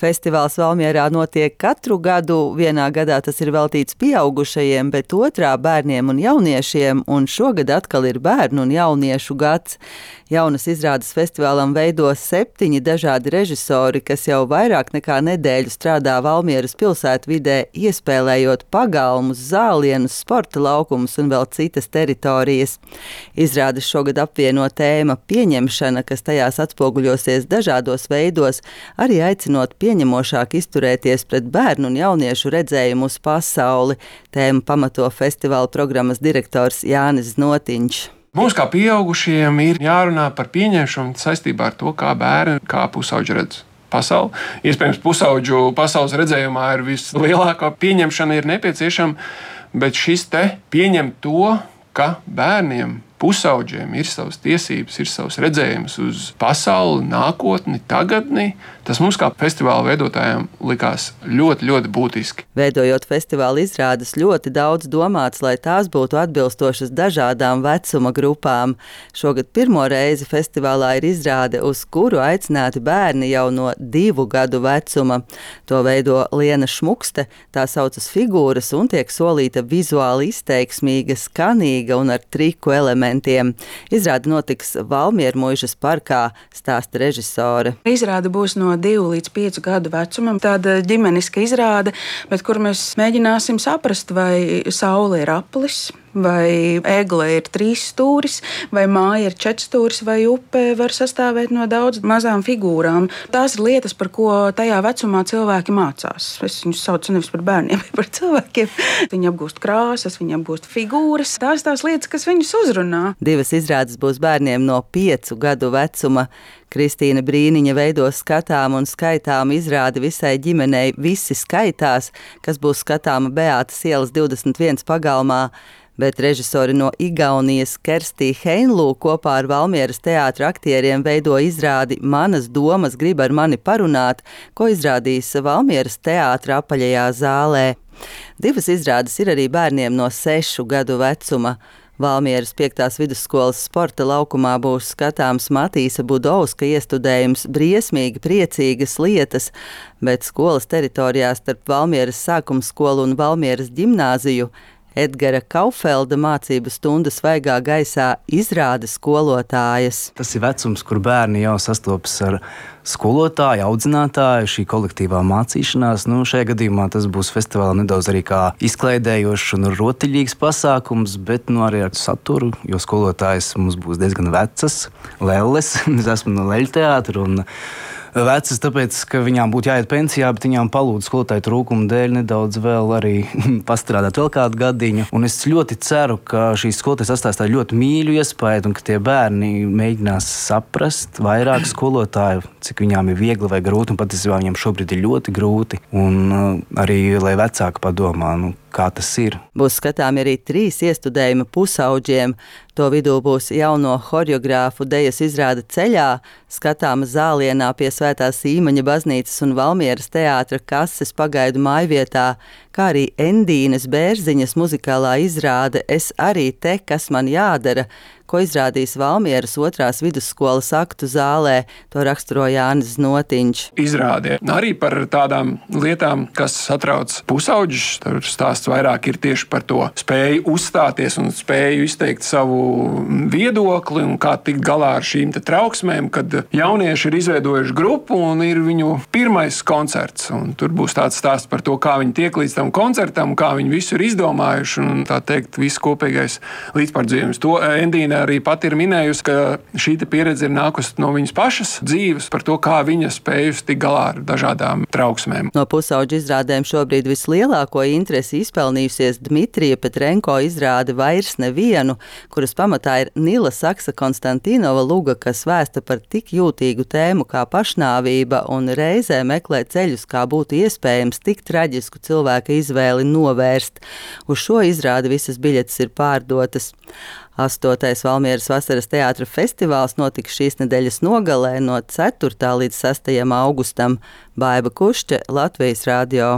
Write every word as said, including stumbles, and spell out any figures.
Festivāls Valmierā notiek katru gadu. Vienā gadā tas ir veltīts pieaugušajiem, bet otrā bērniem un jauniešiem, un šogad atkal ir bērnu un jauniešu gads. Jaunas izrādes festivālam veido septiņi dažādi režisori, kas jau vairāk nekā nedēļu strādā Valmieras pilsētvidē, iespēlējot pagalmus, zālienus, sporta laukumus un vēl citas teritorijas. Izrādes šogad apvieno tēma pieņemšana, kas tajās atspoguļosies dažādos veidos, arī aicinot pieņemošāk izturēties pret bērnu un jauniešu redzējumu uz pasauli. Tēmu pamato festivāla programmas direktors Jānis Znotiņš. Mums kā pieaugušiem ir jārunā par pieņemšanu saistībā ar to, kā bērni, kā pusauģi redz pasauli. Iespējams, pusauģu pasaules redzējumā ir vislielākā pieņemšana ir nepieciešama, bet šis te pieņem to, ka bērniem, pusauģiem ir savas tiesības, ir savs redzējums uz pasauli, nākotni, tagadni. Tas mums kā festivāla veidotājiem likās ļoti, ļoti būtiski. Veidojot festivāla izrādes, ļoti daudz domāts, lai tās būtu atbilstošas dažādām vecuma grupām. Šogad pirmo reizi festivālā ir izrāde, uz kuru aicināti bērni jau no divu gadu vecuma. To veido Liena Šmukste, tā saucas figūras un tiek solīta vizuāli izteiksmīga, skanīga un ar triku elementiem. Izrāde notiks Valmiermuižas parkā, stāsta režisore. Izrāde būs no divu līdz piecu gadu vecumam. Tāda ģimeniska izrāde, bet kur mēs mēģināsim saprast, vai saule ir aplis, vai egle ir trīs stūris, vai māja ir četrs stūris, vai upe var sastāvēt no daudz mazām figūrām. Tās ir lietas, par ko tajā vecumā cilvēki mācās. Es viņus saucu nevis par bērniem, bet par cilvēkiem. Viņi apgūst krāsas, viņi apgūst figūras. Tās tās lietas, kas viņus uzrunā. Divas izrādes būs bērniem no piecu gadu vecuma. Kristīna Brīniņa veidos skatām un skaitām izrādi visai ģimenei Visi skaitās, kas būs skatāma Beātas ielas divdesmit viens pagalmā. Bet režisori no Igaunijas Kerstī Heinlū kopā ar Valmieras teātra aktieriem veido izrādi Manas domas grib ar mani parunāt, ko izrādīs Valmieras teātra apaļajā zālē. Divas izrādes ir arī bērniem no sešu gadu vecuma. Valmieras piektās vidusskolas sporta laukumā būs skatāms Matīsa Budovska iestudējums Briesmīgi priecīgas lietas, bet skolas teritorijā starp Valmieras sākumskolu un Valmieras ģimnāziju Edgara Kaufelda mācību stunda svaigā gaisā izrāda skolotājas. Tas ir vecums, kur bērni jau sastopas ar skolotāju, audzinātāju, šī kolektīvā mācīšanās. Nu, šajā gadījumā tas būs festivālā nedaudz arī kā izklaidējošs un rotaļīgs pasākums, bet nu, arī ar saturu, jo skolotājas mums būs diezgan vecas, lelles. Es esmu no Leļu teātra un vecas, tāpēc, ka viņām būtu jāiet pensijā, bet viņām palūdz skolotāju trūkumu dēļ nedaudz vēl arī pastrādāt vēl kādu gadiņu. Un es ļoti ceru, ka šīs skolotājas atstās tādu ļoti mīļu iespēju un ka tie bērni mēģinās saprast vairāk skolotāju, cik viņām ir viegli vai grūti, un patiesībā viņiem šobrīd ir ļoti grūti. Un arī, lai vecāki padomā, nu, kā tas ir. Būs skatāmi arī trīs iestudējumi pusauģiem. To vidū būs jauno horeogrāfu dejas izrāde Ceļā, skatāma Zālienā pie Svētās Īmaņa baznīcas un Valmieras teātra kases pagaidu mājvietā, kā arī Endīnes Bērziņas muzikālā izrāde Es arī te, kas man jādara, ko izrādīs Valmieras otrās vidusskolas aktu zālē. To raksturo Jānis Znotiņš. Izrādē arī par tādām lietām, kas satrauc pusauģus. Tur stāsts vairāk ir tieši par to spēju uzstāties un spēju izteikt savu viedokli un kā tikt galā ar šīm te trauksmēm, kad jaunieši ir izveidojuši grupu un ir viņu pirmais koncerts. Un tur būs tāds stāsts par to, kā viņi tiek līdz tam koncertam, kā viņi visu ir izdomājuši un tā teikt visu kopīgais līdzpārdzīvojums. To Endīna arī pati ir minējusi, ka šī pieredze ir nākusi no viņas pašas dzīves par to, kā viņa spējusi tik galā ar dažādām trauksmēm. No pusauģu izrādēm šobrīd vislielāko interesi izpelnījusies Dmitrija Petrenko izrāde Vairs nevienu, kuras pamatā ir Nila Saksa Konstantinova luga, kas vēsta par tik jūtīgu tēmu kā pašnāvība un reizē meklē ceļus, kā būtu iespējams tik traģisku cilvēka izvēli novērst. Uz šo izrādi visas biļetes ir pārdotas. Astotais Valmieras vasaras teātra festivāls notiks šīs nedēļas nogalē no ceturtā līdz sestajam augustam. Baiba Kušķe, Latvijas radio.